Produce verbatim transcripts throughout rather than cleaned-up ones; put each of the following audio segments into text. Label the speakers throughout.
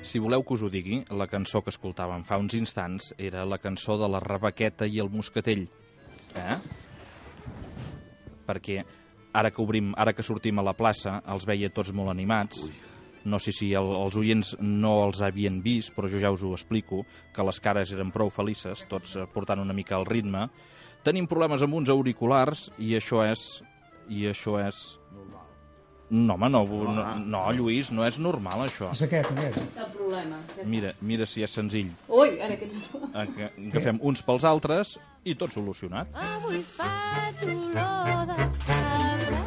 Speaker 1: Si voleu que us ho digui, la cançó que escoltàvem fa uns instants era la cançó de la Rebequeta i el Moscatell. Eh? Perquè ara que obrim, ara que sortim a la plaça, els veia tots molt animats. Ui. No sé si el, els oients no els havien vist, però jo ja us ho explico, que les cares eren prou felices, tots portant una mica el ritme. Tenim problemes amb uns auriculars i això és... I això és... Normal. No, home, no, no, no, Lluís, no és normal, això.
Speaker 2: És aquest, aquest.
Speaker 3: Cap problema.
Speaker 1: Mira, mira si és senzill.
Speaker 3: Ui, ara que ets...
Speaker 1: Agafem uns pels altres i tot solucionat.
Speaker 4: Avui faig olor de cabra.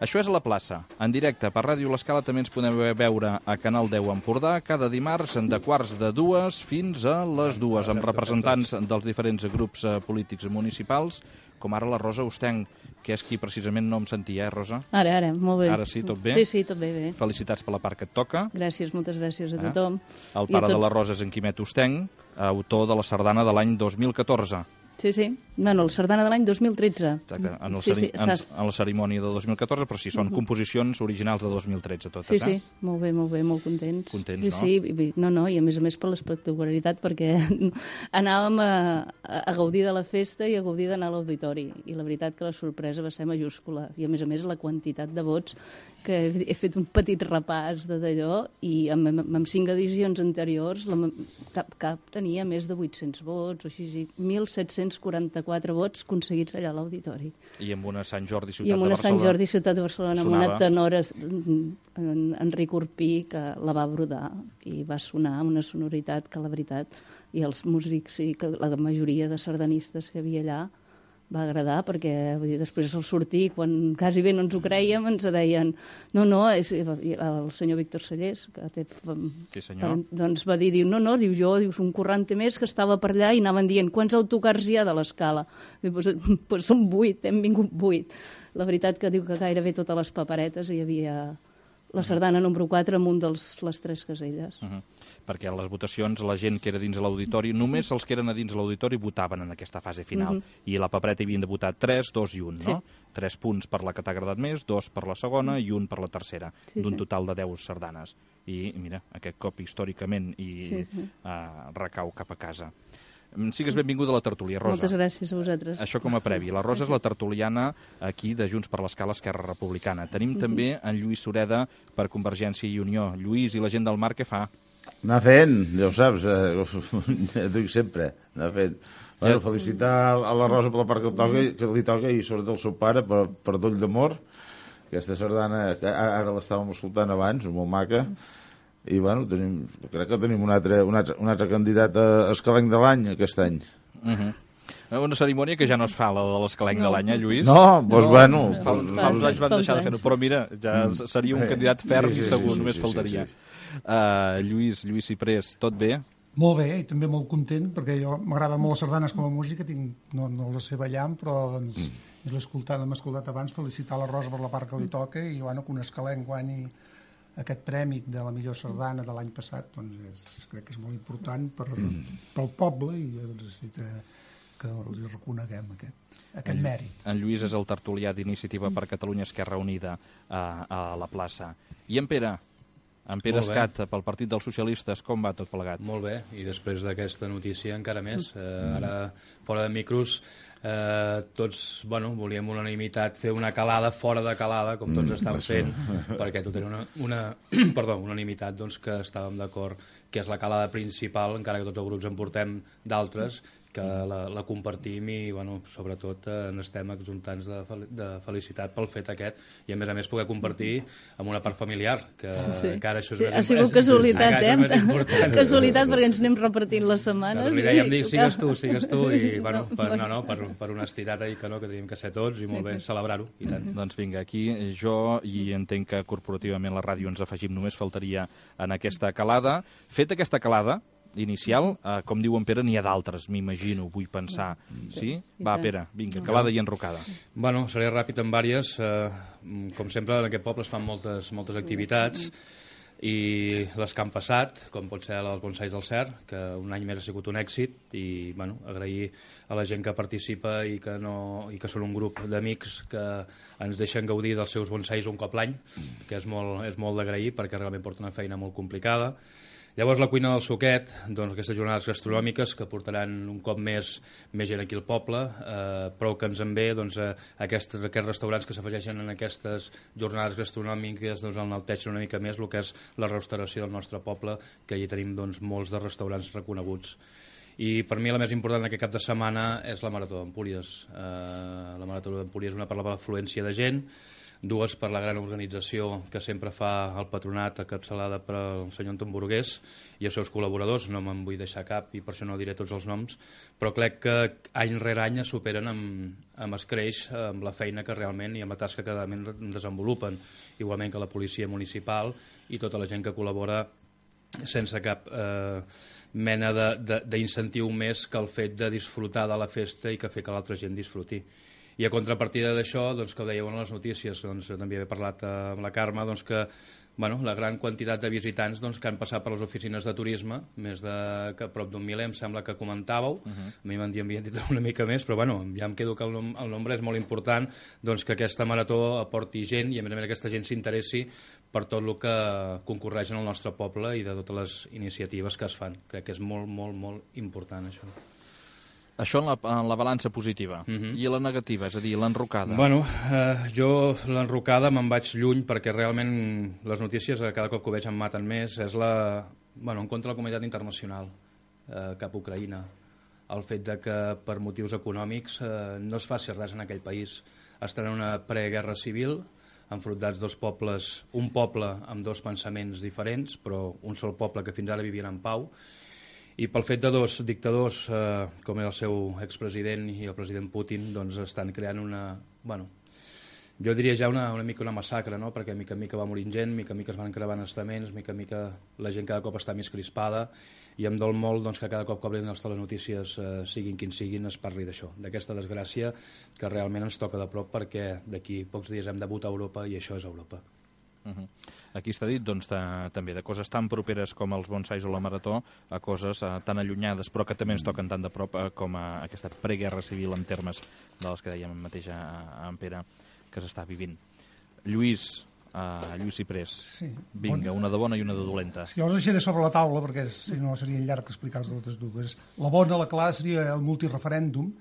Speaker 1: Això és a la plaça. En directe per Ràdio L'Escala també ens podem veure a Canal deu Empordà cada dimarts de quarts de dues fins a les dues, amb representants dels diferents grups polítics municipals, com ara la Rosa Ostenc, que és qui precisament no em sentia, eh, Rosa?
Speaker 3: Ara, ara, molt bé.
Speaker 1: Ara sí, tot bé?
Speaker 3: Sí, sí, tot bé, bé.
Speaker 1: Felicitats per la part que et toca.
Speaker 3: Gràcies, moltes gràcies a tothom.
Speaker 1: Eh? El pare tot... de la Rosa és en Quimet Ostenc, autor de la sardana de l'any dos mil catorze.
Speaker 3: Sí, sí. Bueno, la sardana de l'any dos mil tretze.
Speaker 1: Exacte, en, el
Speaker 3: sí, sí,
Speaker 1: en, en la cerimònia de dos mil catorze, però sí, són uh-huh. composicions originals de dos mil tretze, totes,
Speaker 3: sí,
Speaker 1: eh?
Speaker 3: Sí, sí, molt bé, molt bé, molt contents.
Speaker 1: Contents,
Speaker 3: sí,
Speaker 1: no?
Speaker 3: Sí, no, no, i a més a més per l'espectacularitat, perquè anàvem a, a gaudir de la festa i a gaudir d'anar a l'auditori, i la veritat que la sorpresa va ser majúscula, i a més a més la quantitat de vots, que he, he fet un petit repàs de d'allò, i amb, amb, amb cinc edicions anteriors la, cap, cap tenia més de vuit-cents vots, o així, mil set-cents quaranta-quatre vots aconseguits allà a l'auditori.
Speaker 1: I amb una Sant Jordi, ciutat
Speaker 3: I amb una
Speaker 1: de Barcelona.
Speaker 3: Sant Jordi, ciutat de Barcelona,
Speaker 1: sonava.
Speaker 3: Amb una tenora, en Enric Urpí, que la va brodar, i va sonar amb una sonoritat que, la veritat, i els músics, i que la majoria de sardanistes que hi havia allà, va agradar, perquè vull dir, després al sortir, quan quasi bé no ens ho creiem, ens deien, no, no, és, el senyor Víctor Sallés, que té,
Speaker 1: sí, senyor.
Speaker 3: doncs va dir, diu, no, no, diu, jo, diu, un quaranta més que estava per allà i anaven dient, quants autocars hi ha de l'Escala? Diu, pues, pues són vuit, hem vingut vuit. La veritat que diu que gairebé totes les paperetes hi havia la sardana número quatre amb un dels les tres caselles.
Speaker 1: Uh -huh. Perquè a les votacions la gent que era dins l'auditori, només els que eren a dins l'auditori votaven en aquesta fase final. Uh -huh. I a la papereta hi havien de votar tres, dos i un, no? Sí. Tres punts per la que t'ha agradat més, dos per la segona i un per la tercera, sí, d'un sí. total de deu sardanes. I mira, aquest cop històricament i sí, sí. Uh, recau cap a casa. Sigues benvinguda a la tertúlia, Rosa.
Speaker 3: Moltes gràcies a vosaltres.
Speaker 1: Això com a previ. La Rosa és la tertuliana aquí de Junts per l'Escala Esquerra Republicana. Tenim també en Lluís Sureda per Convergència i Unió. Lluís, i la gent del Mar què fa?
Speaker 5: Anar fent, ja ho saps, eh, ja dic sempre, anar fent. Bueno, felicitar a la Rosa per la part que, toca, que li toca i sobretot el seu pare per, per Doll d'Amor, aquesta sardana que ara l'estàvem escoltant abans, molt maca, i bueno, tenim, crec que tenim un altre, un altre, un altre candidat a Escalenc de l'any aquest any.
Speaker 1: Uh-huh. Una cerimònia que ja no es fa, la de l'Escalenc no. de l'any, eh, Lluís?
Speaker 5: No, doncs no, bueno...
Speaker 1: Fa, fa uns anys van deixar de fer-ho, però mira, ja mm. seria un candidat ferm sí, sí, i segur, sí, sí, només sí, faltaria. Sí, sí. Uh, Lluís, Lluís Ciprés, tot bé?
Speaker 2: Molt bé, i també molt content, perquè jo m'agrada molt les sardanes com a música, tinc, no, no les sé ballant, però doncs, mm. l'he escoltat, l'hem escoltat abans, felicitar la Rosa per la part que li toca, i bueno, que un Escalenc guanyi aquest prèmec de la millor sardana de l'any passat, doncs és, crec que és molt important per, mm. pel poble, i necessita que li reconeguem aquest, aquest
Speaker 1: en,
Speaker 2: mèrit.
Speaker 1: En Lluís és el tertulià d'Iniciativa per Catalunya Esquerra Unida a, a la plaça. I en Pere? En Pere Escat, pel Partit dels Socialistes, com va tot plegat?
Speaker 6: Molt bé, i després d'aquesta notícia encara més. Eh, ara, fora de micros, eh, tots, bueno, volíem unanimitat, fer una calada fora de calada, com tots mm, estan fent, perquè tot era una, una perdó, unanimitat, doncs, que estàvem d'acord que és la calada principal, encara que tots els grups en portem d'altres, que la, la compartim i, bueno, sobretot eh, n'estem exultants de, fel de felicitat pel fet aquest, i a més a més poder compartir amb una part familiar, que
Speaker 3: sí.
Speaker 6: encara això és
Speaker 3: sí,
Speaker 6: més,
Speaker 3: ha sigut casualitat, eh?
Speaker 6: Més important.
Speaker 3: Casualitat, perquè ens anem repartint les setmanes.
Speaker 6: Li dèiem dir, sigues tu, sigues tu, i, bueno, per, no, no, per, per honestitat, que no, que tenim que ser tots, i molt bé, celebrar-ho, i tant.
Speaker 1: Doncs vinga, aquí jo, i entenc que corporativament la ràdio ens afegim, només faltaria en aquesta calada. Fet aquesta calada inicial, eh, com diu en Pere, n'hi ha d'altres, m'imagino, vull pensar. Sí? Va, Pere, vinga, calada i enrocada.
Speaker 6: Bueno, seré ràpid en vàries. Eh, com sempre, en aquest poble es fan moltes, moltes activitats, i les que han passat, com pot ser els bonsais del Cer, que un any més ha sigut un èxit, i bueno, agrair a la gent que participa i que, no, i que són un grup d'amics que ens deixen gaudir dels seus bonsais un cop l'any, que és molt, és molt d'agrair perquè realment porta una feina molt complicada. Llavors la cuina del Suquet, doncs aquestes jornades gastronòmiques que portaran un cop més més gent aquí al poble, eh, prou que ens en ve doncs, eh, aquests, aquests restaurants que s'afegeixen en aquestes jornades gastronòmiques doncs, enalteixen una mica més el que és la restauració del nostre poble, que hi tenim doncs, molts de restaurants reconeguts. I per mi la més important d'aquest cap de setmana és la Marató d'Empúries. Eh, la Marató d'Empúries és una per l'afluència de gent, dues per la gran organització que sempre fa el patronat, encapçalada pel senyor Anton Burgués i els seus col·laboradors. No me'n vull deixar cap i per això no diré tots els noms, però crec que any rere any es superen amb, amb escreix, amb la feina que realment i amb la tasca que cada any desenvolupen, igualment que la policia municipal i tota la gent que col·labora sense cap eh, mena d'incentiu més que el fet de disfrutar de la festa i que fer que l'altra gent disfruti. I a contrapartida d'això, doncs, que ho dèieu en les notícies, doncs, també he parlat amb la Carme, doncs, que bueno, la gran quantitat de visitants doncs, que han passat per les oficines de turisme, més de que prop d'un miler, em sembla que comentàveu, uh -huh. A mi m'han dit una mica més, però bueno, ja em quedo que el, nom el nombre és molt important, doncs, que aquesta marató aporti gent i a més a més aquesta gent s'interessi per tot el que concorreix en el nostre poble i de totes les iniciatives que es fan. Crec que és molt, molt, molt important això.
Speaker 1: Això en la, en la balança positiva. Uh -huh. I la negativa, és a dir, l'enrocada?
Speaker 6: Bueno, eh, jo l'enrocada me'n vaig lluny perquè realment les notícies cada cop que ho veig em maten més. És la... Bueno, en contra de la comunitat internacional eh, cap a Ucraïna. El fet de que per motius econòmics eh, no es faci res en aquell país. Estan en una preguerra civil, enfrontats dos pobles, un poble amb dos pensaments diferents, però un sol poble que fins ara vivien en pau, i pel fet de dos dictadors, eh, com és el seu expresident i el president Putin, doncs estan creant una... Bueno, jo diria ja una, una mica una massacre, no? Perquè mica en mica va morint gent, mica en mica es van creuant estaments, mica en mica la gent cada cop està més crispada, i em dol molt doncs, que cada cop que obrin les telenotícies, eh, siguin quins siguin, es parli d'això, d'aquesta desgràcia que realment ens toca de prop perquè d'aquí pocs dies hem de votar a Europa i això és Europa.
Speaker 1: Uh -huh. Aquí està dit doncs, de, també de coses tan properes com els bonsais o la marató a coses eh, tan allunyades però que també ens toquen tan de prop eh, com a aquesta preguerra civil en termes de les que dèiem mateix a, a en Pere que s'està vivint. Lluís, uh, Lluís Ciprés, sí. Vinga, bona. Una de bona i una de dolenta.
Speaker 2: Sí, jo us deixaré sobre la taula perquè si no seria llarg explicar-vos totes dues. La bona, la clara, seria el multireferèndum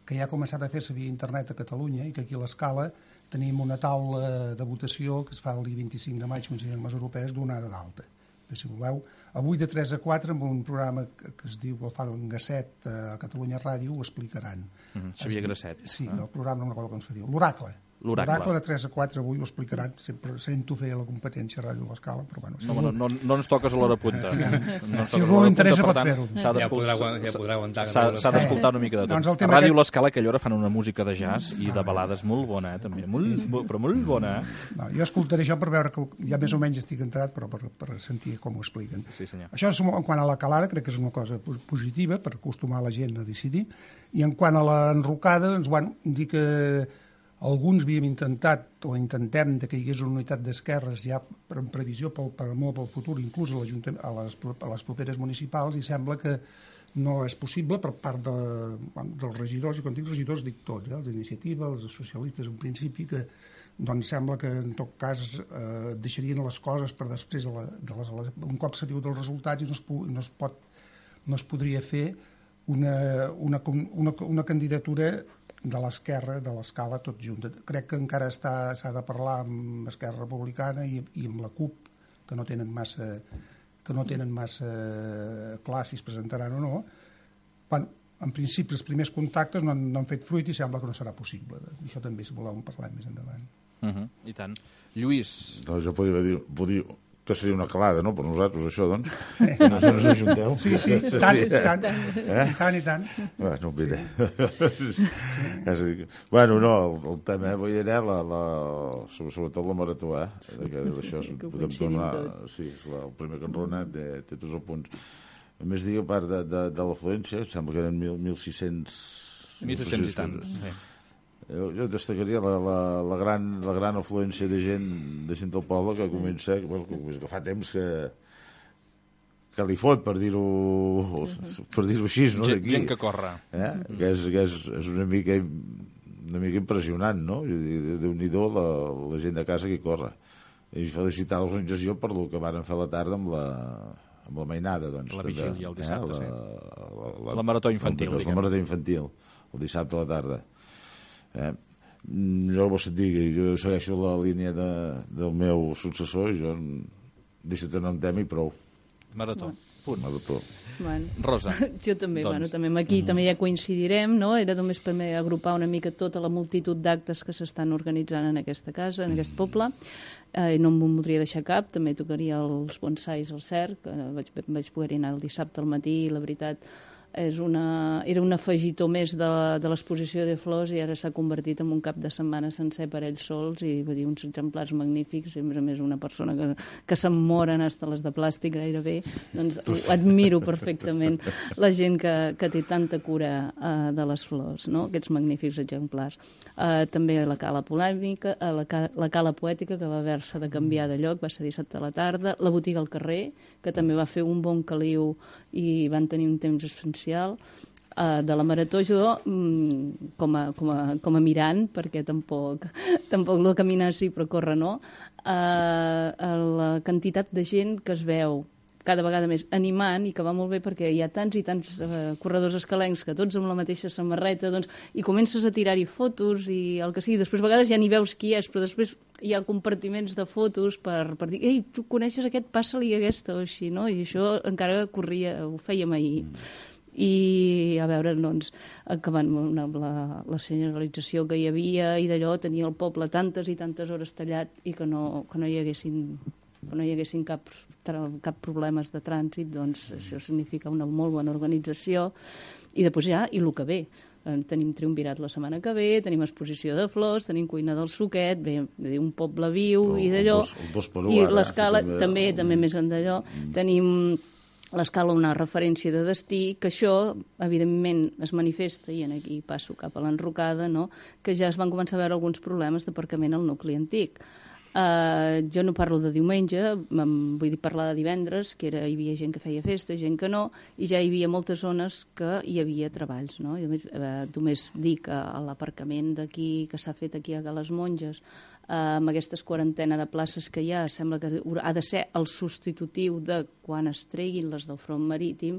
Speaker 2: que ja ha començat a fer-se via internet a Catalunya i que aquí a l'Escala tenim una taula de votació que es fa el dia vint-i-cinc de maig, considerant les europees, donada d'alta. Si voleu, avui de tres a quatre, amb un programa que, que es diu, el fa en Gasset a Catalunya Ràdio, ho explicaran.
Speaker 1: Mm-hmm. Xavier Gasset.
Speaker 2: Sí, ah. El programa no recordo com se diu. L'Oracle. L'Oracle de tres a quatre avui ho explicaran. Sempre sento fer la competència a Ràdio de l'Escala, però bueno... Si
Speaker 1: no, no, no, no ens toques a l'hora punta. Sí.
Speaker 2: No si algú l'interessa pot fer-ho.
Speaker 6: Ja podrà, ja podrà aguantar.
Speaker 1: S'ha d'escoltar una mica de tot. Doncs a Ràdio l'Escala aquella hora fan una música de jazz i de balades molt bona, eh, també. Molt, sí, sí. Però molt bona, eh?
Speaker 2: No, jo escoltaré això per veure que ja més o menys estic entrat, però per, per sentir com ho expliquen.
Speaker 1: Sí, senyor.
Speaker 2: Això és en quant a la calada, crec que és una cosa positiva per acostumar la gent a decidir. I en quant a l'enrocada, doncs, bueno, dir que alguns havíem intentat, o intentem, que hi hagués una unitat d'esquerres ja per, en previsió pel, per, molt pel futur, inclús a, a, les, a les properes municipals, i sembla que no és possible per part de, dels regidors, i quan dic regidors dic tots, eh, els d'iniciativa, els socialistes en principi, que doncs sembla que en tot cas eh, deixarien les coses per després de, la, de les, un cop sabíeu dels resultats i no es, no es, pot, no es podria fer una, una, una, una candidatura de l'esquerra, de l'Escala, tot junt. Crec que encara s'ha de parlar amb Esquerra Republicana i, i amb la CUP, que no tenen massa, que no tenen massa clar si es presentaran o no. Bueno, en principi, els primers contactes no han, no han fet fruit i sembla que no serà possible. Això també, si voleu, en parlem més endavant.
Speaker 1: Uh -huh. I tant. Lluís.
Speaker 5: Doncs jo podria dir, podria, que seria una calada, no?, per nosaltres, això, doncs. Eh. Que no se nos ajunteu.
Speaker 2: Sí, sí, i tant, i tant. Eh? I tant, i tant.
Speaker 5: Bueno, mira. Sí. Sí. Bueno, no, el, el tema, eh, vull dir, la, la, sobretot la marató, eh? D'això podem donar... Sí, el primer que enrona té, té tots els punts. A més, dic, a part de, de, de l'afluència, sembla que eren mil sis-cents...
Speaker 1: mil sis-cents i tant, sí.
Speaker 5: Jo, jo destacaria la, la, la, gran, la gran afluència de gent de gent del poble que comença, bueno, que, que fa temps que que li fot, per dir-ho per dir-ho així, no?
Speaker 1: Gent, gent que corre.
Speaker 5: Eh? Que és, que és, és una mica una mica impressionant, no? Déu-n'hi-do la, la gent de casa que hi corre. I felicitar l'organització per el que van fer a la tarda amb la, amb la mainada, doncs.
Speaker 1: La vigília, el dissabte,
Speaker 5: eh? la,
Speaker 1: sí.
Speaker 5: La, la,
Speaker 1: la marató infantil,
Speaker 5: la, la marató infantil, el dissabte a la tarda. Eh? Jo vos digui, jo segueixo la línia de, del meu successor, jo deixo tenir un tema i prou.
Speaker 1: Marató, punt.
Speaker 5: Marató.
Speaker 3: Bueno.
Speaker 1: Rosa.
Speaker 3: Jo també,
Speaker 1: doncs.
Speaker 3: bueno, també aquí mm. també ja coincidirem, no? Era només per agrupar una mica tota la multitud d'actes que s'estan organitzant en aquesta casa, en aquest poble. Eh, no em voldria deixar cap, també tocaria els bonsais al cerc, eh, vaig, vaig poder anar el dissabte al matí i la veritat és una, era un afegitó més de, de l'exposició de flors i ara s'ha convertit en un cap de setmana sencer per ells sols i va dir uns exemplars magnífics i a més a més una persona que, que se'n moren hasta les de plàstic gairebé, doncs admiro perfectament la gent que, que té tanta cura uh, de les flors, no? Aquests magnífics exemplars. Uh, també la cala polèmica, uh, la, la cala poètica que va haver-se de canviar de lloc, va ser dissabte a la tarda, la botiga al carrer, que també va fer un bon caliu i van tenir un temps essencial. Uh, de la marató jo mm, com, a, com, a, com a mirant perquè tampoc, tampoc el caminar sí però córrer no, uh, la quantitat de gent que es veu cada vegada més animant i que va molt bé perquè hi ha tants i tants uh, corredors escalencs que tots amb la mateixa samarreta doncs, i comences a tirar-hi fotos i el que sigui, després a vegades ja ni veus qui és però després hi ha compartiments de fotos per, per dir, ei, tu coneixes aquest, passa-li aquesta o així, no? I això encara corria, ho fèiem ahir mm. i a veure, doncs, acabant amb la, la senyalització que hi havia i d'allò tenia el poble tantes i tantes hores tallat i que no, que no hi haguessin, que no hi haguessin cap, cap problemes de trànsit, doncs això significa una molt bona organització i després ja, i el que ve. Tenim triumvirat la setmana que ve, tenim exposició de flors, tenim cuina del suquet, bé, un poble viu i d'allò, i l'escala també, també més en d'allò, tenim l'escala una referència de destí, que això, evidentment, es manifesta, i aquí passo cap a l'enrocada, no? Que ja es van començar a veure alguns problemes d'aparcament al nucli antic. Uh, jo no parlo de diumenge, vull dir parlar de divendres, que era, hi havia gent que feia festa, gent que no, i ja hi havia moltes zones que hi havia treballs. No? I a més, uh, només dic que uh, l'aparcament d'aquí, que s'ha fet aquí a les Monges, Uh, amb aquestes quarantena de places que hi ha, sembla que ha de ser el substitutiu de quan es treguin les del front marítim,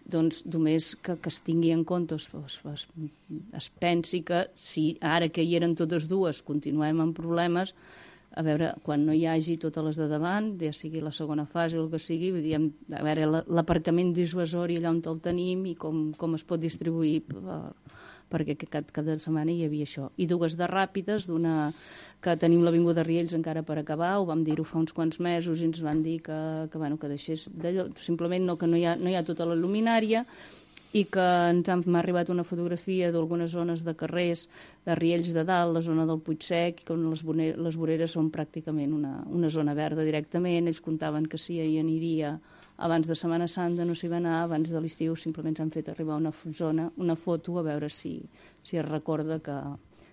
Speaker 3: doncs només que, que es tingui en compte, es, es, es pensi que si ara que hi eren totes dues continuem amb problemes, a veure, quan no hi hagi totes les de davant, ja sigui la segona fase o el que sigui, diguem, a veure, l'aparcament dissuasori allà on el tenim i com, com es pot distribuir uh, perquè cada, cada setmana hi havia això. I dues de ràpides, d'una que tenim l'Avinguda Riells encara per acabar, ho vam dir-ho fa uns quants mesos i ens van dir que, que, bueno, que deixés d'allò, simplement no, que no hi ha, no hi ha tota la luminària i que ens ha, m'ha arribat una fotografia d'algunes zones de carrers de Riells de dalt, la zona del Puigsec, que les, boneres, les voreres són pràcticament una, una zona verda directament, ells comptaven que sí, hi aniria abans de Setmana Santa, no s'hi va anar, abans de l'estiu simplement s'han fet arribar una zona, una foto, a veure si, si es recorda que,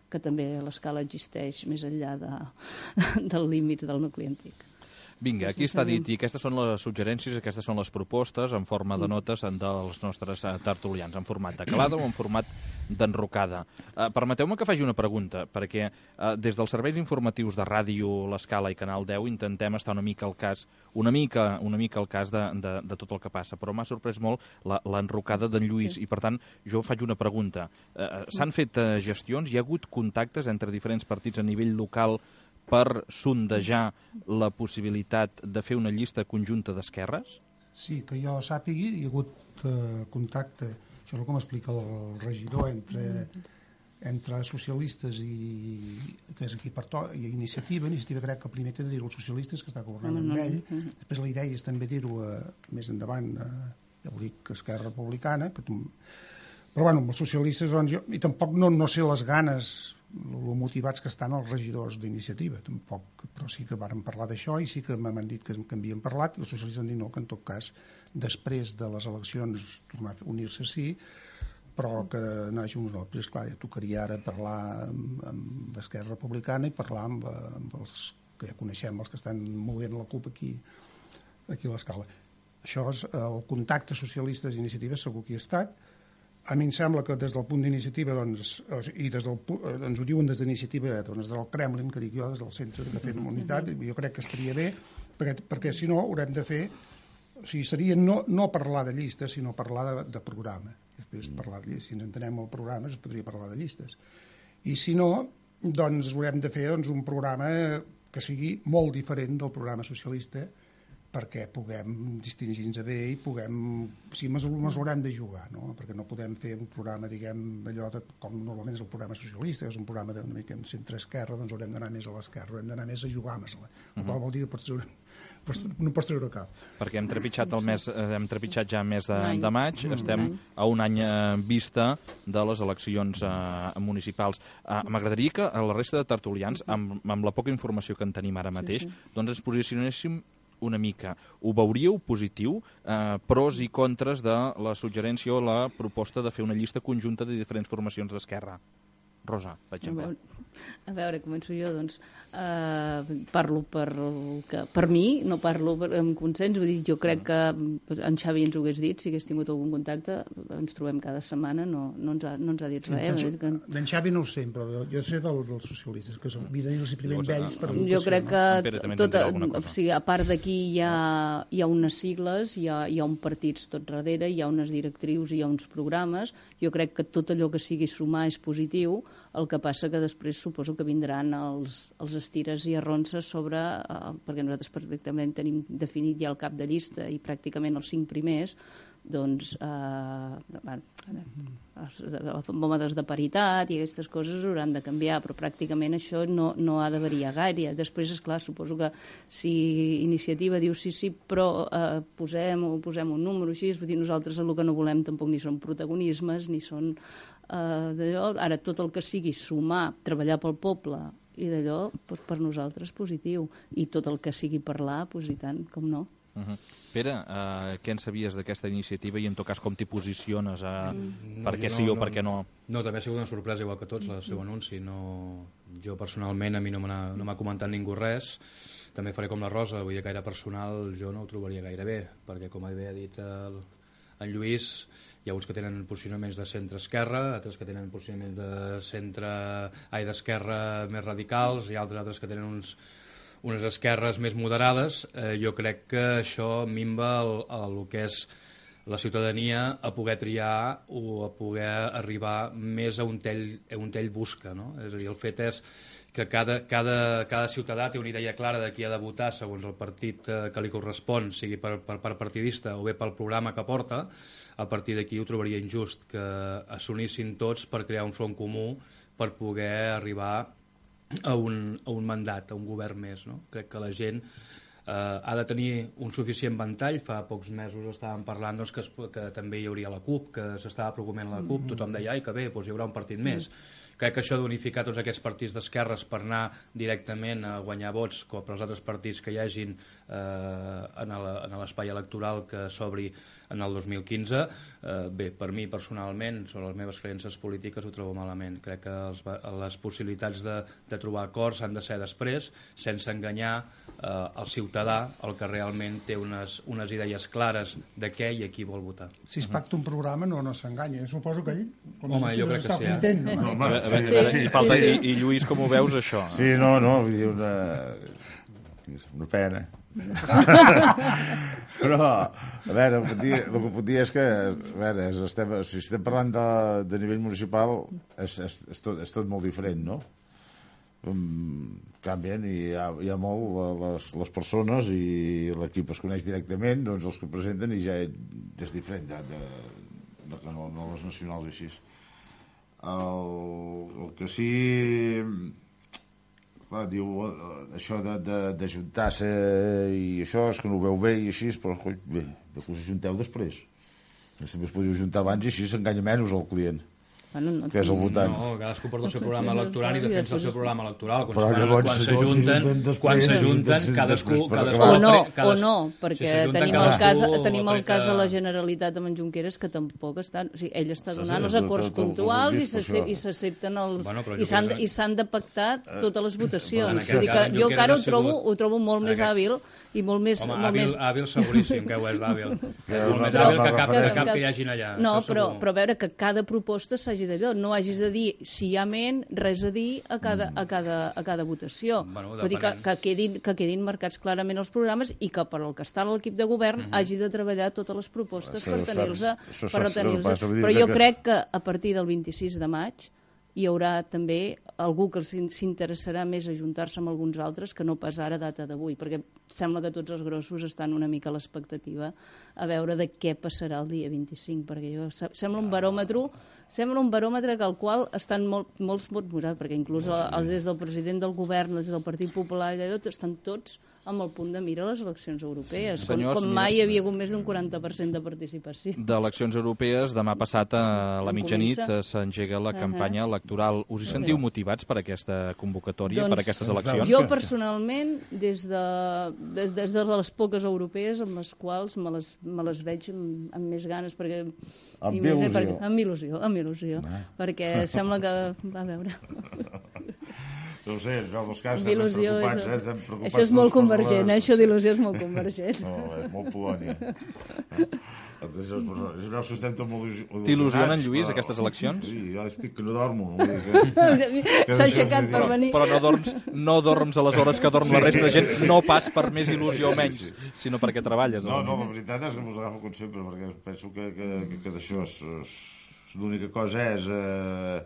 Speaker 3: que també l'escala existeix més enllà de, del límit del nucli antic.
Speaker 1: Vinga, aquí està dit, i aquestes són les suggerències, aquestes són les propostes en forma de notes dels nostres tertulians, en format de calada o en format d'enrocada. Uh, Permeteu-me que faci una pregunta, perquè uh, des dels serveis informatius de ràdio, l'Escala i Canal deu intentem estar una mica al cas, una mica, una mica al cas de, de, de tot el que passa, però m'ha sorprès molt l'enrocada d'en Lluís, sí. I per tant jo faig una pregunta. Uh, S'han fet uh, gestions, hi ha hagut contactes entre diferents partits a nivell local per sondejar la possibilitat de fer una llista conjunta d'esquerres?
Speaker 2: Sí, que jo sàpigui, hi ha hagut eh, contacte, això és el que m'explica el regidor, entre, entre socialistes i que és aquí per to, i iniciativa, iniciativa crec que primer té de dir els socialistes, que està governant amb ell, després la idea és també dir-ho eh, més endavant, eh, ja ho dic, Esquerra Republicana, que tu... però bueno, els socialistes, doncs, jo, i tampoc no, no sé les ganes, lo motivats que estan els regidors d'iniciativa, tampoc, però sí que varen parlar d'això i sí que m'han dit que, que havien parlat i els socialistes han dit no, que en tot cas després de les eleccions tornar a unir-se sí, però que naix uns noms. Esclar, ja tocaria ara parlar amb, amb Esquerra Republicana i parlar amb, amb els que ja coneixem, els que estan movent la CUP aquí, aquí a l'Escala. Això és el contacte socialistes i iniciatives, segur que hi ha estat. A mi em sembla que des del punt d'iniciativa, doncs, i des del, ens ho diuen des d'iniciativa, doncs, des del Kremlin, que dic jo, des del centre de fer unitat, jo crec que estaria bé, perquè, perquè si no haurem de fer, o sigui, seria no, no parlar de llistes, sinó parlar de, de programa. Després parlar de llistes, si ens entenem el programa, es podria parlar de llistes. I si no, doncs haurem de fer doncs, un programa que sigui molt diferent del programa socialista, perquè puguem distingir-nos bé i puguem... O sigui, ens haurem de jugar, no? Perquè no podem fer un programa, diguem, allò de, com normalment és el programa socialista, que és un programa d'una mica en centre-esquerra, doncs haurem d'anar més a l'esquerra, haurem d'anar més a jugar-nos-la. Uh -huh. Vol dir que pots treure, pots, no pots treure cap.
Speaker 1: Perquè hem trepitjat, el mes, hem trepitjat ja el mes de, de maig, mm. estem a un any en vista de les eleccions eh, municipals. Eh, M'agradaria que a la resta de tertulians, amb, amb la poca informació que en tenim ara mateix, sí, sí. doncs ens posicionéssim una mica. Ho veuríeu positiu? Eh, pros i contres de la suggerència o la proposta de fer una llista conjunta de diferents formacions d'Esquerra? Rosa, per exemple.
Speaker 3: A veure, a veure començo jo, doncs. Uh, parlo per, que, per mi, no parlo per, amb consens. Vull dir, jo crec que en Xavi ens ho hagués dit, si hagués tingut algun contacte, ens trobem cada setmana, no, no, ens, ha, no ens ha dit res.
Speaker 2: Sí, que... D'en Xavi no ho sé, però jo sé dels, dels socialistes, que són els primers vells per
Speaker 3: educació. Jo crec que, tot, o sigui, a part d'aquí hi, ha, hi ha unes sigles, hi ha, hi ha un partits tot darrere, hi ha unes directrius, hi ha uns programes. Jo crec que tot allò que sigui sumar és positiu. El que passa que després suposo que vindran els, els estires i arronses sobre, eh, perquè nosaltres perfectament tenim definit ja el cap de llista i pràcticament els cinc primers, doncs eh, bueno, els mòmodes de paritat i aquestes coses hauran de canviar, però pràcticament això no, no ha de variar gaire. Després, esclar, suposo que si Iniciativa diu sí, sí, però eh, posem, posem un número així, vull dir, nosaltres el que no volem tampoc ni són protagonismes, ni són Uh, d'allò, ara tot el que sigui sumar, treballar pel poble i d'allò, doncs per nosaltres positiu, i tot el que sigui parlar, doncs i tant, com no.
Speaker 1: Uh -huh. Pere, uh, què en sabies d'aquesta iniciativa i en tot cas com t'hi posiciones? Uh, mm. Per què no, sí o
Speaker 6: no,
Speaker 1: per què no?
Speaker 6: No, també ha sigut una sorpresa igual que tots el seu anunci. No, jo personalment a mi no m'ha no comentat ningú res. També faré com la Rosa, vull dir, gaire personal jo no ho trobaria gaire bé, perquè com bé ha dit el, en Lluís, hi ha uns que tenen posicionaments de centre-esquerra, altres que tenen posicionaments de centre, ai, d'esquerra més radicals, i altres altres que tenen uns, unes esquerres més moderades. Eh, jo crec que això minva el, el que és la ciutadania a poder triar o a poder arribar més a on ell, a on ell busca, no? És a dir, el fet és que cada, cada, cada ciutadà té una idea clara de qui ha de votar segons el partit eh, que li correspon, sigui per, per, per partidista o bé pel programa que porta. A partir d'aquí ho trobaria injust que s'unissin tots per crear un front comú per poder arribar a un, a un mandat, a un govern més, no? Crec que la gent eh, ha de tenir un suficient ventall. Fa pocs mesos estàvem parlant doncs, que, es, que també hi hauria la CUP, que s'estava preocupant la CUP, tothom deia, ai, que bé, doncs hi haurà un partit més. Crec que això d'unificar tots aquests partits d'esquerres per anar directament a guanyar vots com per als altres partits que hi hagin eh, en l'espai electoral que s'obri en el dos mil quinze, eh, bé, per mi personalment, sobre les meves creences polítiques, ho trobo malament. Crec que els, les possibilitats de, de trobar acords han de ser després, sense enganyar eh, el ciutadà, el que realment té unes, unes idees clares de què i a qui vol votar.
Speaker 2: Si es pacta un programa no, no s'enganya. Suposo que ell, com
Speaker 6: Home, jo crec que sí,
Speaker 2: content,
Speaker 6: eh?
Speaker 2: no?
Speaker 1: No, a veure, sí, sí, i, falta, sí. I, I Lluís, com ho veus, això?
Speaker 5: Sí, no, no, vull dir, una, una pena. Però, a veure, el que, dir, el que puc dir és que, a veure, estem, si estem parlant de, de nivell municipal, és, és, és, tot, és tot molt diferent, no? Um, canvien i hi ha, hi ha molt les, les persones i l'equip es coneix directament, doncs els que presenten, i ja és diferent de, de, de que no, no les nacionals així. El, el que sí... Clar, diu, això d'ajuntar-se i això, és que no ho veu bé i així, però coi, bé, bé que us ajunteu després. També es podria ajuntar abans i així s'enganya menys el client.
Speaker 3: Bueno, no,
Speaker 5: que és el votant.
Speaker 6: No, cadascú porta el seu programa electoral i defensa el seu programa electoral. Quan,
Speaker 5: Però
Speaker 6: quan,
Speaker 5: llavors,
Speaker 6: quan
Speaker 5: llavors
Speaker 6: s'ajunten,
Speaker 5: s'ajunten
Speaker 6: quan
Speaker 5: després,
Speaker 6: s'ajunten,
Speaker 5: després,
Speaker 6: cadascú...
Speaker 5: després,
Speaker 6: cadascú
Speaker 3: o no,
Speaker 6: apre-
Speaker 3: o no,
Speaker 6: si
Speaker 3: perquè
Speaker 6: s'ajunten
Speaker 3: tenim el
Speaker 6: cadascú
Speaker 3: cas, tenim el
Speaker 6: aplica-
Speaker 3: cas de la Generalitat amb en Junqueras, que tampoc està... O sigui, ell està
Speaker 5: Sí,
Speaker 3: donant
Speaker 5: sí,
Speaker 3: els
Speaker 5: tot-
Speaker 3: acords
Speaker 5: tot- tot-
Speaker 3: puntuals i
Speaker 5: tot
Speaker 3: s'ace-
Speaker 5: això.
Speaker 3: i s'accepten els...
Speaker 6: Bueno, però
Speaker 3: i s'han
Speaker 6: Junqueras-
Speaker 3: i s'han de pactar totes les
Speaker 6: en
Speaker 3: votacions.
Speaker 6: aquest
Speaker 3: Vull dir que
Speaker 6: cas, en
Speaker 3: jo
Speaker 6: Junqueras
Speaker 3: encara
Speaker 6: ha
Speaker 3: ho trobo,
Speaker 6: sigut-
Speaker 3: ho trobo molt
Speaker 6: en
Speaker 3: més
Speaker 6: aquest-
Speaker 3: hàbil i molt més...
Speaker 6: Home,
Speaker 3: molt
Speaker 6: hàbil,
Speaker 3: més...
Speaker 6: hàbil seguríssim que ho és d'hàbil.
Speaker 5: Però-
Speaker 6: Molt més
Speaker 5: però-
Speaker 6: hàbil que cap,
Speaker 5: però-
Speaker 6: que cap que hi hagin allà.
Speaker 3: No,
Speaker 6: això
Speaker 3: però,
Speaker 6: segur.
Speaker 3: però a veure que cada proposta s'hagi d'allò, no hagis de dir si hi ha ment, res a dir a cada, a cada, a cada votació.
Speaker 6: Bueno,
Speaker 3: Vull dir que,
Speaker 6: depenent.
Speaker 3: que, quedin, que quedin marcats clarament els programes i que per al que està a l'equip de govern hagi de treballar totes les propostes
Speaker 5: Això
Speaker 3: per
Speaker 5: ho
Speaker 3: tenir-los.
Speaker 5: saps, això
Speaker 3: Per
Speaker 5: saps,
Speaker 3: tenir-los.
Speaker 5: passa, vull dir
Speaker 3: Però jo
Speaker 5: que-
Speaker 3: crec que a partir del vint-i-sis de maig hi haurà també algú que s'in- s'interessarà més a juntar-se amb alguns altres que no pas ara a data d'avui, perquè sembla que tots els grossos estan una mica a l'expectativa a veure de què passarà el dia vint-i-cinc, perquè jo, se- sembla un baròmetre sembla un baròmetre que al qual estan molt, molts vots morats, perquè inclús els des del president del govern, els del Partit Popular, i tot, estan tots amb el punt de mira a les eleccions europees,
Speaker 1: Sí,
Speaker 3: com,
Speaker 1: senyors,
Speaker 3: com
Speaker 1: mira-
Speaker 3: mai hi havia hagut més d'un quaranta per cent de participació.
Speaker 1: D'eleccions europees, demà passat a la
Speaker 3: Com
Speaker 1: mitjanit
Speaker 3: comença?
Speaker 1: eh, s'engega la
Speaker 3: Ahà.
Speaker 1: campanya electoral. Us hi sentiu motivats per aquesta convocatòria, per aquestes eleccions?
Speaker 3: Jo personalment, des de, des, des de les poques europees amb les quals me les, me les veig amb, amb més ganes, perquè...
Speaker 5: Amb
Speaker 3: i més bé
Speaker 5: il·lusió.
Speaker 3: perquè, amb il·lusió, amb il·lusió, perquè sembla que... A veure...
Speaker 5: No ho sé, això dels casos
Speaker 3: Amb
Speaker 5: estem
Speaker 3: il·lusió,
Speaker 5: preocupats,
Speaker 3: això,
Speaker 5: eh? Estem preocupats
Speaker 3: això és molt
Speaker 5: tots per
Speaker 3: convergent,
Speaker 5: les-
Speaker 3: eh? Això d'il·lusió és molt convergent.
Speaker 5: No, és molt Polònia. Això és, és veus que estem tot molt il·lusionats.
Speaker 1: T'il·lusionen, Lluís,
Speaker 5: però-
Speaker 1: aquestes eleccions?
Speaker 5: Sí, jo estic que no dormo. Vull dir que...
Speaker 3: S'ha aixecat per
Speaker 1: Però,
Speaker 3: venir.
Speaker 1: però no, dorms, no dorms a les hores que dorm la resta de gent, no pas per més il·lusió o menys, sinó perquè treballes.
Speaker 5: No, no, la veritat és que mos agafo com sempre, perquè penso que, que, que, que d'això és, és, l'única cosa és... Eh,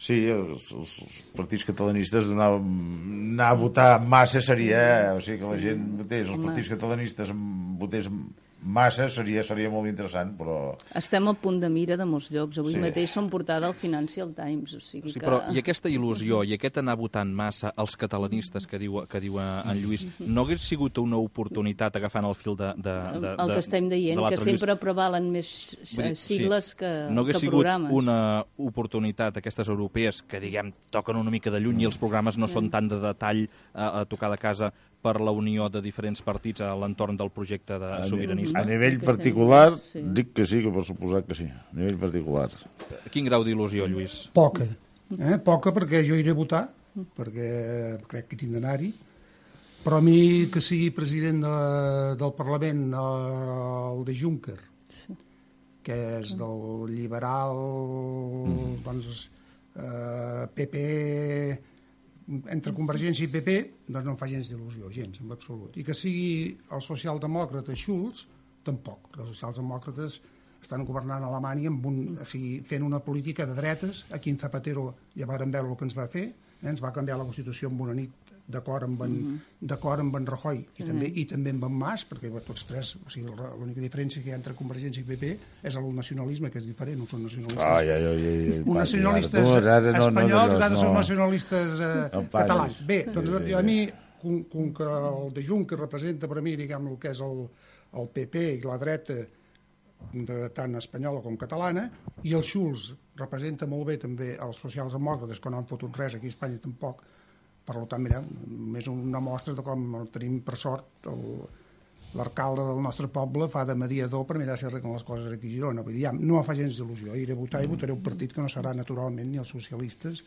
Speaker 5: sí, els, els, els partits catalanistes donar, anar a votar massa seria... Eh, o sigui, que la gent votés, els partits catalanistes votés massa seria, seria molt interessant, però...
Speaker 3: Estem a punt de mira de molts llocs. Avui
Speaker 5: Sí.
Speaker 3: mateix som portada al Financial Times. O sigui
Speaker 1: Sí,
Speaker 3: que...
Speaker 1: però i aquesta il·lusió i aquest anar votant massa als catalanistes que diu, que diu en Lluís, no hagués sigut una oportunitat agafant el fil de, de, de,
Speaker 3: el que estem
Speaker 1: de
Speaker 3: dient, que
Speaker 1: l'altre
Speaker 3: sempre prevalen més
Speaker 1: Vull dir,
Speaker 3: sigles
Speaker 1: sí,
Speaker 3: que,
Speaker 1: no hagués
Speaker 3: que
Speaker 1: sigut
Speaker 3: programes.
Speaker 1: una oportunitat aquestes europees que, diguem, toquen una mica de lluny i els programes no són tant de detall a, a tocar de casa per la unió de diferents partits a l'entorn del projecte de sobiranista.
Speaker 5: A nivell
Speaker 3: Que
Speaker 5: particular,
Speaker 3: sí.
Speaker 5: dic que sí, que per suposat que sí. A nivell particular.
Speaker 1: Quin grau d'il·lusió, Lluís?
Speaker 2: Poca. Eh? Poca perquè jo iré a votar, perquè crec que tinc d'anar-hi, però a mi que sigui president de, del Parlament el de Juncker,
Speaker 3: Sí.
Speaker 2: que és del liberal, doncs, eh, P P, entre Convergència i P P, doncs no em fa gens d'il·lusió, gens, en absolut. I que sigui el socialdemòcrata Schulz, tampoc. Els socialdemòcrates estan governant a Alemanya amb un, o sigui, fent una política de dretes. Aquí en Zapatero ja vàrem veure el que ens va fer, eh? Ens va canviar la Constitució en una nit d'acord amb, en, d'acord amb en Rajoy i, també, i també amb en Mas, perquè tots tres, o sigui, l'única diferència que hi ha entre Convergència i P P és el nacionalisme, que és diferent, no són nacionalistes.
Speaker 5: Ai, ai, ai, ai,
Speaker 2: Un nacionalistes
Speaker 5: tu, ara no, no,
Speaker 2: espanyols,
Speaker 5: no,
Speaker 2: ara
Speaker 5: no.
Speaker 2: són nacionalistes eh,
Speaker 5: No paris.
Speaker 2: catalans. Bé, doncs
Speaker 5: Sí, sí,
Speaker 2: a
Speaker 5: sí.
Speaker 2: mi, com, com que el de Juncker representa per a mi, diguem, el que és el, el P P i la dreta de, tant espanyola com catalana, i el Schulz representa molt bé també els socialdemòcrates, que no han fotut res aquí a Espanya tampoc. Per tant, mira, més una mostra de com tenim, per sort, el, l'alcalde del nostre poble fa de mediador per mirar si arreglen les coses aquí a Girona. Vull dir, ja, no em fa gens d'il·lusió. Iré a votar i votaré un partit que no serà naturalment ni els socialistes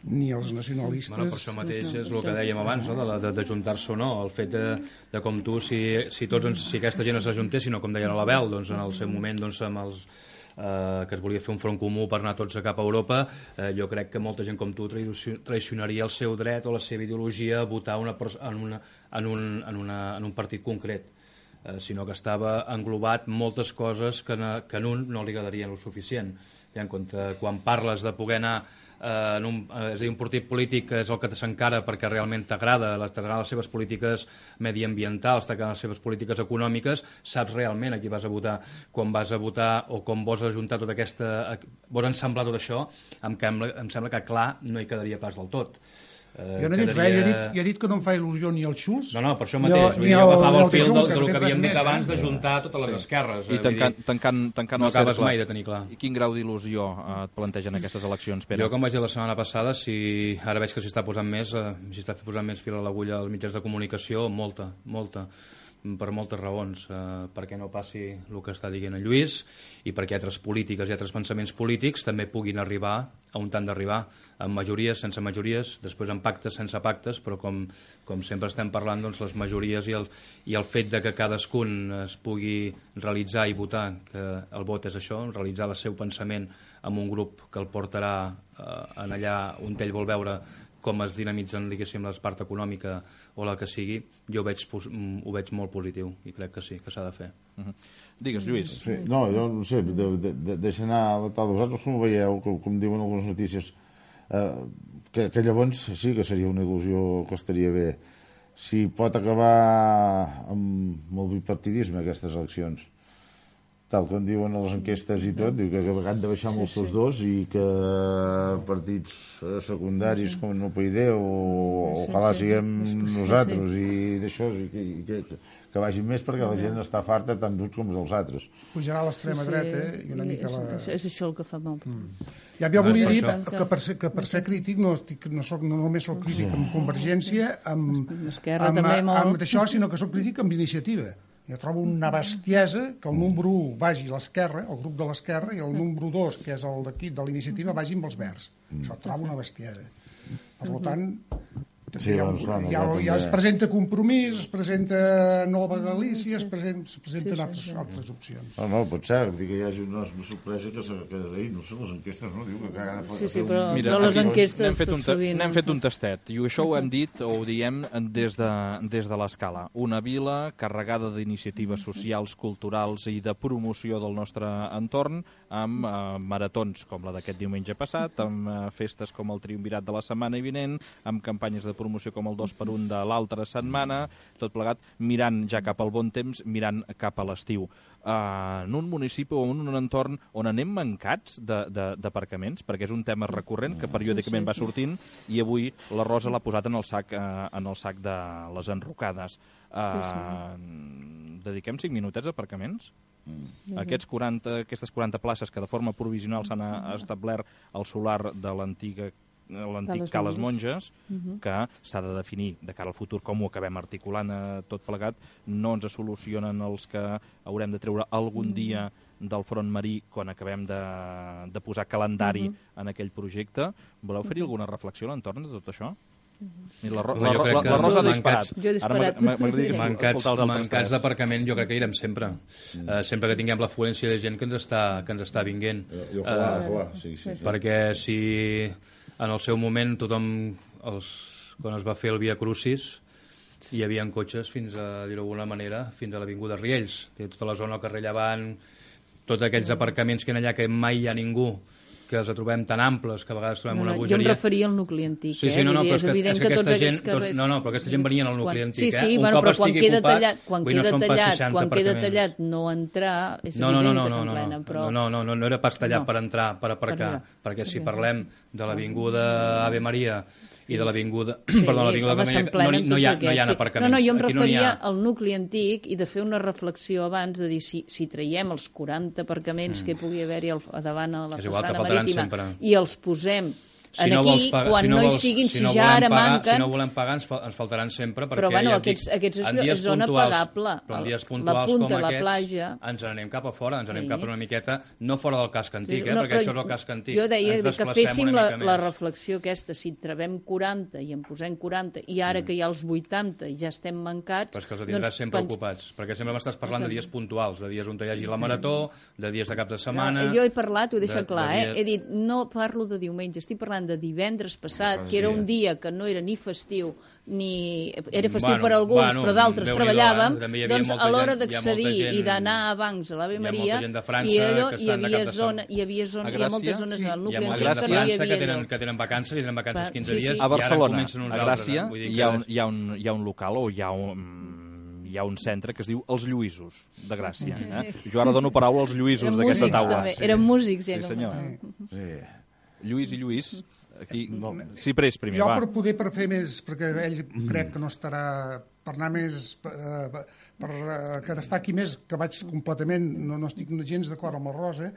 Speaker 2: ni els nacionalistes.
Speaker 6: Bueno, per això mateix és el que dèiem abans, no? de, de, de juntar-se o no, el fet de, de com tu, si, si, tots, ens- si aquesta gent s'ajuntessin, o com deia l'Abel, doncs en el seu moment doncs, amb els, eh, que es volia fer un front comú per anar tots a cap a Europa, eh, jo crec que molta gent com tu traicio- traicionaria el seu dret o la seva ideologia a votar una, pers- en, una, en, un, en, una, en un partit concret, eh, sinó que estava englobat moltes coses que, na, que en un no li agradarien el suficient. I en compte, quan parles de poder anar eh, en un, eh, és a dir, un partit polític que és el que s'encara perquè realment t'agrada, les- t'agraden les seves polítiques mediambientals, t'agraden les seves polítiques econòmiques, saps realment a qui vas a votar. Quan vas a votar o com vols ajuntar tota aquesta... vols ensamblar tot això, em, sembla, em sembla que clar no hi quedaria pas del tot. Eh,
Speaker 2: jo no he dit
Speaker 6: quedaria...
Speaker 2: res, jo he dit, jo he dit que no em fa il·lusió ni el Schulz.
Speaker 6: No, no, per això
Speaker 2: ni
Speaker 6: mateix.
Speaker 2: el-
Speaker 6: Vull
Speaker 2: ni
Speaker 6: dir,
Speaker 2: el-
Speaker 6: agafava
Speaker 2: ni
Speaker 6: el
Speaker 2: el
Speaker 6: fil del,
Speaker 2: Junts, que
Speaker 6: del
Speaker 2: no
Speaker 6: que
Speaker 2: té
Speaker 6: havíem
Speaker 2: res
Speaker 6: dit
Speaker 2: més,
Speaker 6: abans,
Speaker 2: eh?
Speaker 6: de juntar totes les esquerres.
Speaker 1: I
Speaker 6: eh,
Speaker 1: tancant,
Speaker 6: vull dir,
Speaker 1: tancant, tancant
Speaker 6: no
Speaker 1: el cercle.
Speaker 6: acabes mai de tenir clar.
Speaker 1: I quin grau d'il·lusió eh, et plantegen aquestes eleccions, Pere?
Speaker 6: Jo, com vaig dir la setmana passada, si ara veig que s'hi està posant més, eh, s'hi està posant més fil a l'agulla als mitjans de comunicació, molta, molta, per moltes raons. Eh, perquè no passi el que està dient en Lluís i perquè altres polítiques i altres pensaments polítics també puguin arribar a on han d'arribar, amb majories, sense majories, després amb pactes, sense pactes, però com, com sempre estem parlant, doncs les majories i el, i el fet de que cadascun es pugui realitzar i votar, que el vot és això, realitzar el seu pensament amb un grup que el portarà eh, en allà on ell vol veure com es dinamitzen, diguéssim, la part econòmica o la que sigui, jo ho veig, ho veig molt positiu i crec que sí, que s'ha de fer.
Speaker 1: Uh -huh. Digues, Lluís.
Speaker 5: Sí, no, jo no sé, de, de, de, deixa anar la tal. Vosaltres com ho veieu, com, com diuen algunes notícies, eh, que, que llavors sí que seria una il·lusió que estaria bé. Si pot acabar amb, amb el bipartidisme aquestes eleccions, tal com diuen a les enquestes i tot, diu que han de baixar molts tots dos i que partits secundaris com no P I D o ojalà siguem nosaltres i d'això, i que, i que, que vagin més perquè la gent està farta tant d'uns com dels altres.
Speaker 2: Pujarà a l'extrema
Speaker 3: Sí, sí,
Speaker 2: dreta i una mica la...
Speaker 3: És, és això el que fa mal. Mm.
Speaker 2: Ja, jo volia
Speaker 6: per
Speaker 2: dir
Speaker 6: això.
Speaker 2: que per, ser, que per ser crític no, estic, no, soc, no només soc crític amb Convergència, amb,
Speaker 3: Amb Esquerra
Speaker 2: amb,
Speaker 3: també molt.
Speaker 2: amb això, sinó que soc crític amb Iniciativa. Jo trobo una bestiesa que el número u vagi a l'esquerra, el grup de l'esquerra, i el número dos, que és el d'aquí, de l'Iniciativa, vagi amb els verds. Això trobo una bestiesa. Per tant,
Speaker 5: Sí,
Speaker 2: ja,
Speaker 5: doncs, clar,
Speaker 2: ja,
Speaker 5: nosaltres
Speaker 2: ja es
Speaker 5: també.
Speaker 2: presenta Compromís, es presenta Nova Galícia, es presenten, es presenten
Speaker 3: Sí, sí,
Speaker 2: altres,
Speaker 3: sí.
Speaker 2: altres opcions.
Speaker 5: No, no, pot ser, dir que hi hagi una, una sorpresa que, se- que ahir, no sé, les enquestes, no? Diu que cada
Speaker 3: Sí, sí, però, però les
Speaker 1: aquí
Speaker 3: enquestes
Speaker 1: n'hem fet,
Speaker 3: tot
Speaker 1: un, ta-
Speaker 3: sovint...
Speaker 1: n'hem fet un tastet, i això ho hem dit o ho diem des de, des de l'escala. Una vila carregada d'iniciatives socials, culturals i de promoció del nostre entorn, amb eh, maratons com la d'aquest diumenge passat, amb eh, festes com el triumvirat de la setmana vinent, amb campanyes de promoció com el dos per un de l'altra setmana, tot plegat mirant ja cap al bon temps, mirant cap a l'estiu. Uh, en un municipi o en un entorn on anem mancats d'aparcaments, perquè és un tema recurrent que periòdicament va sortint i avui la Rosa l'ha posat en el sac, uh, en el sac de les enrocades. Uh, dediquem cinc minutets a aparcaments? Aquests quaranta, aquestes quaranta places que de forma provisional s'han uh, establert al solar de l'antiga l'antic
Speaker 3: Cales
Speaker 1: Cales
Speaker 3: Monges.
Speaker 1: Monges, que s'ha de definir de cara al futur com ho acabem articulant eh, tot plegat, no ens solucionen els que haurem de treure algun dia del front marí quan acabem de, de posar calendari uh -huh. en aquell projecte. Voleu fer-hi alguna reflexió a l'entorn de tot això? I la, Ro
Speaker 6: Home,
Speaker 1: la,
Speaker 6: jo
Speaker 1: la,
Speaker 6: crec
Speaker 1: la,
Speaker 6: que
Speaker 1: la Rosa ha
Speaker 6: mancats-
Speaker 1: disparat.
Speaker 3: Jo he disparat.
Speaker 1: Ara m'agradaria que
Speaker 6: Mancats,
Speaker 1: escoltar els altres
Speaker 6: mancats
Speaker 1: tres.
Speaker 6: d'aparcament jo crec que irem sempre. Uh, sempre que tinguem l'afluència de gent que ens està, que ens està vinguent.
Speaker 5: I ojalà, ojalà, sí, sí. sí.
Speaker 6: Perquè si en el seu moment tothom, els, quan es va fer el Via Crucis, hi havia cotxes fins a, dir-ho d'alguna manera, fins a l'Avinguda Riells, tota la zona al carrer Llevant, tots aquells aparcaments que en allà que mai hi ha ningú, que els trobem tan amples que a vegades trobem
Speaker 3: No,
Speaker 6: una
Speaker 3: no, jo em
Speaker 6: bogeria.
Speaker 3: referia al nucli antic,
Speaker 6: Sí,
Speaker 3: eh?
Speaker 6: sí, no, no,
Speaker 3: Vull dir,
Speaker 6: però
Speaker 3: és
Speaker 6: és que,
Speaker 3: evident
Speaker 6: és
Speaker 3: que,
Speaker 6: que
Speaker 3: tots
Speaker 6: aquesta
Speaker 3: aquests
Speaker 6: gent, doncs,
Speaker 3: carrers...
Speaker 6: no, no, però aquesta gent venien al nucli
Speaker 3: Quan-
Speaker 6: antic,
Speaker 3: sí, sí,
Speaker 6: eh? Un
Speaker 3: bueno,
Speaker 6: cop
Speaker 3: però quan
Speaker 6: estigui
Speaker 3: queda
Speaker 6: ocupat,
Speaker 3: tallat, quan
Speaker 6: vull dir, no
Speaker 3: queda
Speaker 6: són pas
Speaker 3: tallat,
Speaker 6: seixanta
Speaker 3: quan queda
Speaker 6: aparcaments.
Speaker 3: tallat no entrar, és
Speaker 6: No, no,
Speaker 3: evident
Speaker 6: no,
Speaker 3: que
Speaker 6: no, no,
Speaker 3: s'emplena,
Speaker 6: no,
Speaker 3: però...
Speaker 6: no, no, no, no era pas tallat
Speaker 3: No.
Speaker 6: per entrar, per aparcar,
Speaker 3: Per
Speaker 6: perquè si
Speaker 3: perquè-
Speaker 6: parlem de l'Avinguda Ave Maria i de l'Avinguda...
Speaker 3: Sí,
Speaker 6: perdó, l'Avinguda
Speaker 3: home,
Speaker 6: Ave Maria, no,
Speaker 3: s'emplenen
Speaker 6: no, hi ha,
Speaker 3: tots
Speaker 6: no hi ha
Speaker 3: aquests, sí.
Speaker 6: aparcaments.
Speaker 3: No, no, jo em
Speaker 6: Aquí no n'hi
Speaker 3: referia
Speaker 6: ha.
Speaker 3: al nucli antic i de fer una reflexió abans de dir si, si traiem els quaranta aparcaments mm. que hi pugui haver-hi al- a davant a la
Speaker 6: És igual,
Speaker 3: façana
Speaker 6: te faltaran
Speaker 3: marítima
Speaker 6: sempre.
Speaker 3: i els posem
Speaker 6: Si
Speaker 3: en
Speaker 6: no
Speaker 3: aquí,
Speaker 6: vols pagar,
Speaker 3: quan
Speaker 6: si no,
Speaker 3: no,
Speaker 6: vols,
Speaker 3: hi siguin, si,
Speaker 6: no
Speaker 3: ja
Speaker 6: volem
Speaker 3: ara
Speaker 6: pagar,
Speaker 3: manquen...
Speaker 6: Si no volem pagar, ens, fa, ens faltaran sempre, perquè
Speaker 3: Però, bueno,
Speaker 6: ja et dic,
Speaker 3: aquests- aquests és
Speaker 6: en
Speaker 3: lo-
Speaker 6: dies
Speaker 3: és zona
Speaker 6: puntuals,
Speaker 3: pagable.
Speaker 6: però en dies
Speaker 3: La
Speaker 6: puntuals
Speaker 3: punta,
Speaker 6: com
Speaker 3: la
Speaker 6: aquests,
Speaker 3: platja.
Speaker 6: ens n'anem cap a fora, ens n'anem
Speaker 3: Sí.
Speaker 6: cap a una miqueta, no fora del casc antic,
Speaker 3: Sí,
Speaker 6: eh,
Speaker 3: no,
Speaker 6: perquè
Speaker 3: però
Speaker 6: això és el casc antic.
Speaker 3: Jo deia
Speaker 6: Ens
Speaker 3: que
Speaker 6: desplacem
Speaker 3: féssim
Speaker 6: una
Speaker 3: la,
Speaker 6: mica
Speaker 3: la
Speaker 6: més.
Speaker 3: reflexió aquesta, si trobem quaranta i en posem quaranta, i ara
Speaker 6: Mm.
Speaker 3: que hi ha els vuitanta i ja estem mancats...
Speaker 6: Però és que els tindràs sempre
Speaker 3: pens-
Speaker 6: ocupats, perquè sempre m'estàs parlant de dies puntuals, de dies on hi hagi la marató, de dies de cap de setmana...
Speaker 3: No, jo he parlat, ho he deixat
Speaker 6: de-
Speaker 3: clar,
Speaker 6: de
Speaker 3: eh?
Speaker 6: dies-
Speaker 3: He dit, no parlo de diumenge, estic parlant de divendres passat, que era
Speaker 5: sí.
Speaker 3: un dia que no era ni festiu, ni... Era festiu
Speaker 6: Bueno,
Speaker 3: per alguns,
Speaker 6: bueno,
Speaker 3: però d'altres
Speaker 6: Déu-n'hi-do,
Speaker 3: treballàvem,
Speaker 6: eh? També hi havia
Speaker 3: doncs
Speaker 6: molta
Speaker 3: a l'hora
Speaker 6: gent- hi ha molta
Speaker 3: d'accedir
Speaker 6: gent-
Speaker 3: i d'anar a bancs a l'Ave
Speaker 6: hi ha
Speaker 3: Maria,
Speaker 6: molta gent de França
Speaker 3: i allò,
Speaker 6: que
Speaker 3: hi
Speaker 6: estan de
Speaker 3: havia
Speaker 6: cap de
Speaker 3: zona,
Speaker 6: setmana.
Speaker 3: hi havia zona,
Speaker 1: A
Speaker 3: hi ha moltes
Speaker 1: Gràcia?
Speaker 3: zones
Speaker 2: Sí.
Speaker 3: al
Speaker 6: Hi
Speaker 3: nucli
Speaker 6: ha molta
Speaker 3: antic
Speaker 6: gent
Speaker 3: que
Speaker 6: de
Speaker 3: no hi
Speaker 6: França que
Speaker 3: havia
Speaker 6: tenen,
Speaker 3: allò.
Speaker 6: que tenen vacances i tenen vacances
Speaker 3: Va,
Speaker 6: quinze
Speaker 3: sí, sí.
Speaker 6: dies
Speaker 1: A
Speaker 6: i ara
Speaker 1: Barcelona,
Speaker 6: comencen uns
Speaker 1: a
Speaker 6: altres.
Speaker 1: Gràcia,
Speaker 6: eh? Vull dir
Speaker 1: hi
Speaker 6: que
Speaker 1: ha, un, hi, ha un, hi ha un local o hi ha un, hi ha un centre que es diu Els Lluïsos, de Gràcia. Eh? Jo ara dono paraula als Lluïsos
Speaker 3: Eren
Speaker 1: d'aquesta
Speaker 3: músics,
Speaker 1: taula.
Speaker 3: també. Eren músics, ja.
Speaker 1: Sí,
Speaker 3: com-
Speaker 1: senyor.
Speaker 5: Sí.
Speaker 1: Lluís i Lluís, Aquí, no. Ciprés primer,
Speaker 2: jo
Speaker 1: va.
Speaker 2: per poder per fer més, perquè ell crec que no estarà per anar més eh, per eh, que destaqui més, que vaig completament, no, no estic gens d'acord amb el Rosa.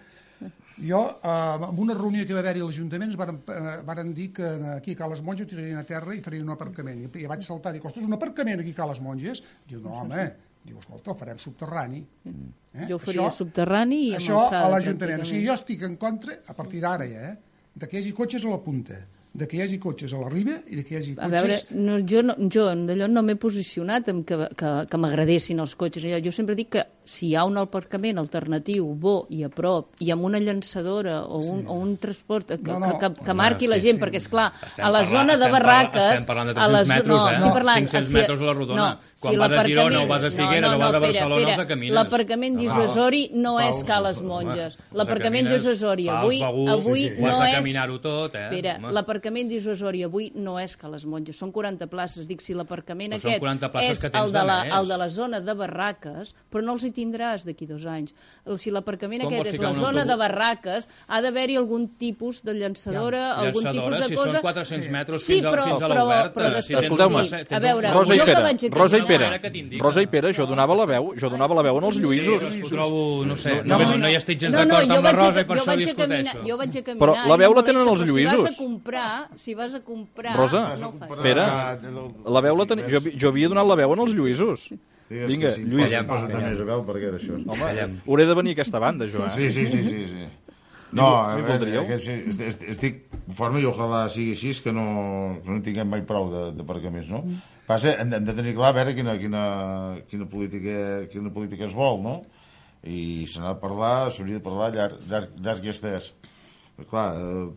Speaker 2: Jo, eh, en una reunió que va haver-hi a l'Ajuntament, varen, eh, varen dir que aquí a Cales Monges ho tirarien a terra i farien un aparcament. I, i vaig saltar, dic, ostres, un aparcament aquí a Cales Monges? Diu, no, home, diu, escolta, el farem subterrani.
Speaker 3: Eh? Jo ho faria això, subterrani i amb
Speaker 2: això
Speaker 3: alçada.
Speaker 2: Això a l'Ajuntament. O sigui, jo estic en contra, a partir d'ara ja, eh, de que hi hagi cotxes a la punta, de que hi hagi cotxes a la riba i de que hi hagi cotxes...
Speaker 3: A veure, no, jo, no, jo d'allò no m'he posicionat en que, que, que m'agradessin els cotxes. Jo sempre dic que si hi ha un aparcament alternatiu, bo i a prop, i amb una llançadora o un, sí. o un transport que, no, no. que, que, que marqui no, sí, la gent, sí. perquè, esclar,
Speaker 6: estem
Speaker 3: a la
Speaker 6: parlant,
Speaker 3: zona de barraques...
Speaker 6: Estem parlant de tres-cents metres,
Speaker 3: no,
Speaker 6: eh?
Speaker 3: Parlant,
Speaker 6: cinc-cents
Speaker 3: si,
Speaker 6: metres a la rodona.
Speaker 3: No,
Speaker 6: Quan
Speaker 3: si
Speaker 6: vas a Girona o vas a Figueres no, no, no, o vas a Barcelona, els de camines.
Speaker 3: L'aparcament d'Isosori no és Cales Monges. L'aparcament d'Isosori avui, avui no és...
Speaker 6: caminar-ho tot, eh?
Speaker 3: Espera, l'aparcament d'Isosori avui no és Cales Monges, són quaranta places. Dic, si l'aparcament aquest és el de, la, el de la zona de barraques, però no els hi tindràs d'aquí dos anys. Si l'aparcament aquest és la zona de barraques, ha d'haver-hi algun tipus de llançadora, ja. algun tipus de
Speaker 6: si
Speaker 3: cosa...
Speaker 6: Si són quatre-cents metres
Speaker 3: sí,
Speaker 6: fins,
Speaker 3: però,
Speaker 6: a, fins a
Speaker 3: però,
Speaker 6: l'oberta...
Speaker 3: però després,
Speaker 1: escolteu-me,
Speaker 3: sí. A veure,
Speaker 1: Rosa i Pere,
Speaker 3: vaig
Speaker 1: Rosa i Pere, Rosa i Pere, jo donava la veu, jo donava la veu en els lluïsos.
Speaker 6: Sí, ho trobo, no sé, no, no, no hi estic gens d'acord amb la Rosa i per això discuteixo.
Speaker 3: Jo vaig a caminar...
Speaker 1: Però la veu la tenen els lluïsos.
Speaker 3: Si vas a comprar, si vas a comprar...
Speaker 1: Rosa, Pere, la veu la tenia... Jo, jo havia donat la veu en els lluïsos. Vinga, Lluís.
Speaker 5: Posa't més a veu per què d'això.
Speaker 1: Home, hauré de venir a aquesta banda, jo, eh?
Speaker 5: Sí, sí, sí, sí, sí. No, estic conforme i ojalà sigui així, que no, que no tinguem mai prou d'aparcaments, no? Passa, hem de tenir clar a veure quina, quina, quina, política, quina política es vol, no? I se n'ha de parlar, s'hauria de parlar llarg, llarg, llarg i estès. Però, clar,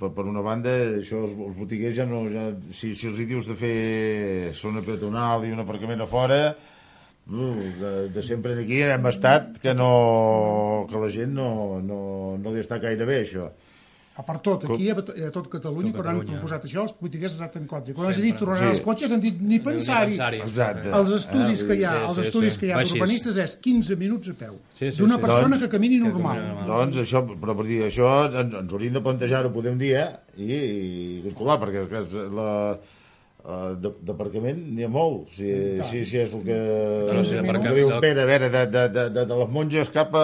Speaker 5: per, per una banda, això els, els botiguers ja no... Ja, si, si els hi dius de fer zona peatonal i un aparcament a fora... Uh, de, de sempre aquí hem estat que no que la gent no, no, no li està gaire bé això.
Speaker 2: A part tot, aquí a, a tot Catalunya, tot quan han proposat això, els polítics han anat en contra. Quan has dit tornaran sí. els cotxes, han dit ni pensar-hi. Els estudis que hi ha, els estudis que hi ha d'urbanistes és quinze minuts a peu. Sí, sí, d'una sí, persona doncs, que camini normal.
Speaker 5: Doncs això, però per dir això, ens, ens hauríem de plantejar-ho, podem dir, eh? I, i calcular, perquè la... Uh, d'aparcament n'hi ha molt si, si, si és el que, no, si el que diu Pere, a veure, de, de, de, de, de les monges cap a...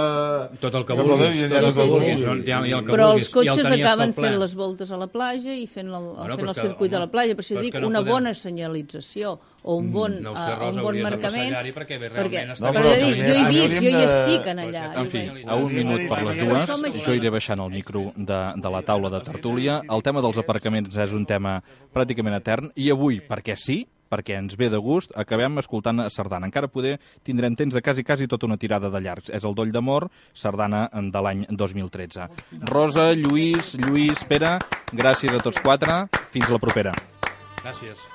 Speaker 6: Tot el que vulguis, sí, sí, sí, sí.
Speaker 3: Però els cotxes acaben fent les voltes a la platja i fent el, bueno, fent el circuit home, de la platja, per això dic una podem... bona senyalització o un bon, no sé, Rosa, uh, un bon marcament perquè, perquè no, però dic, jo he vist, jo hi estic en allà.
Speaker 1: En fi, a un minut per les dues jo iré baixant el micro de, de la taula de tertúlia. El tema dels aparcaments és un tema pràcticament etern i avui, perquè sí, perquè ens ve de gust, acabem escoltant sardana. Encara poder tindrem temps de quasi, quasi tota una tirada de llargs. És el Doll d'Amor, sardana de l'any dos mil tretze. Rosa, Lluís, Lluís, Pere, gràcies a tots quatre. Fins la propera.
Speaker 6: Gràcies.